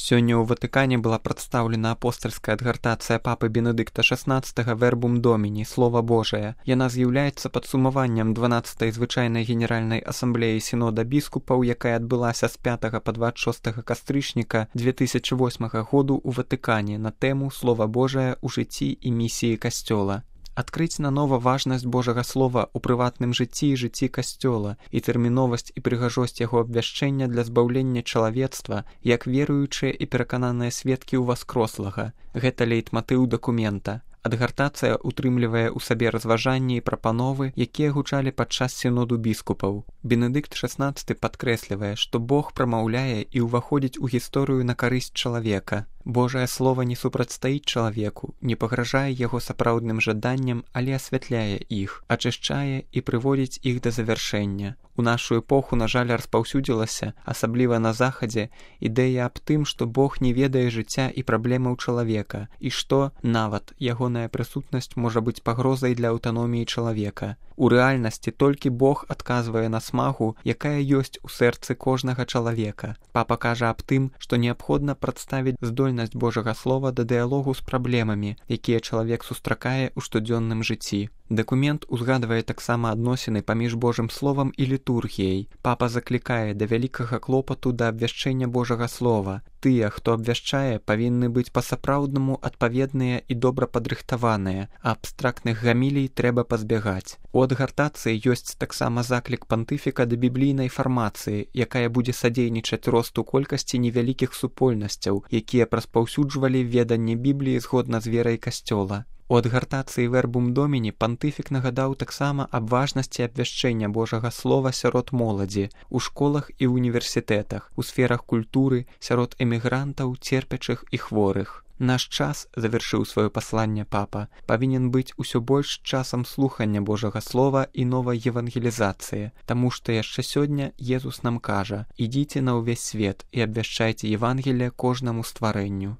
Сёння ў Ватыкане была прадстаўлена апостальская адгартацыя папы Бенедыкта XVI «Вербум Доміні» «Слова Божае». Яна з'яўляецца падсумаваннем 12-й звычайнай генеральнай асамблеі сінода біскупаў, якая адбылася з 5 па 26 кастрычніка 2008 году ў Ватыкане на тэму «Слова Божае ў жыцці і місіі Касцёла». Адкрыць нанова важнасць Божага Слова ў прыватным жыцці і жыцці Касцёла і тэрміновасць і прыгажосць яго абвяшчэння для збаўлення чалавецтва, як веруючыя і перакананыя сведкі ўваскрослага. Гэта лейтматыў дакумента. Адгартацыя утрымлівае ў сабе разважанні і прапановы, якія гучалі падчас сіноду біскупаў. Бенедыкт XVI падкрэслівае, што Бог прамаўляе і ўваходзіць у гісторыю на карысць чалавека. Божае Слова не супрацьстаіць чалавеку, не пагражае яго сапраўдным жаданням, але асвятляе іх, ачышчае і прыводзіць іх да завяршэння. У нашу эпоху, на жаль, распаўсюдзілася, асабліва на захадзе, ідэя аб тым, што Бог не ведае жыцця і праблемаў чалавека, і што, нават, ягоная прысутнасць можа быць пагрозай для аўтаноміі чалавека. У рэальнасці толькі Бог адказвае на смагу, якая ёсць у сэрцы кожнага чалавека. Папа кажа аб тым, што неабходна прадставіць здольнасць Божага Слова да дыялогу з праблемамі, якія чалавек сустракае ў штодзённым жыцці. Дакумент узгадвае таксама адносіны паміж Божым Словам і літургіяй. Папа заклікае да вялікага клопату да абвяшчэння Божага Слова. Тыя, хто абвяшчае, павінны быць па-сапраўднаму адпаведныя і добра падрыхтаваныя, а абстрактных гамілій трэба пазбягаць. У адгартацыі ёсць таксама заклік пантыфіка да біблійнай фармацыі, якая будзе садзейнічаць росту колькасці невялікіх супольнасцяў, якія распаўсюджвалі веданне Бібліі згодна з верай Касцёла. У адгартацыі «Вербум Доміні» пантыфік нагадаў таксама аб важнасці абвяшчэння Божага Слова сярод моладзі, у школах і універсітэтах, у сферах культуры, сярод эмігрантаў, церпячых і хворых. Наш час, завяршыў сваё пасланне папа, павінен быць усё больш часам слухання Божага Слова і новай евангелізацыі, таму што яшчэ сёння Езус нам кажа: «Ідзіце на ўвесь свет і абвяшчайце Евангелие кожнаму стварэнню».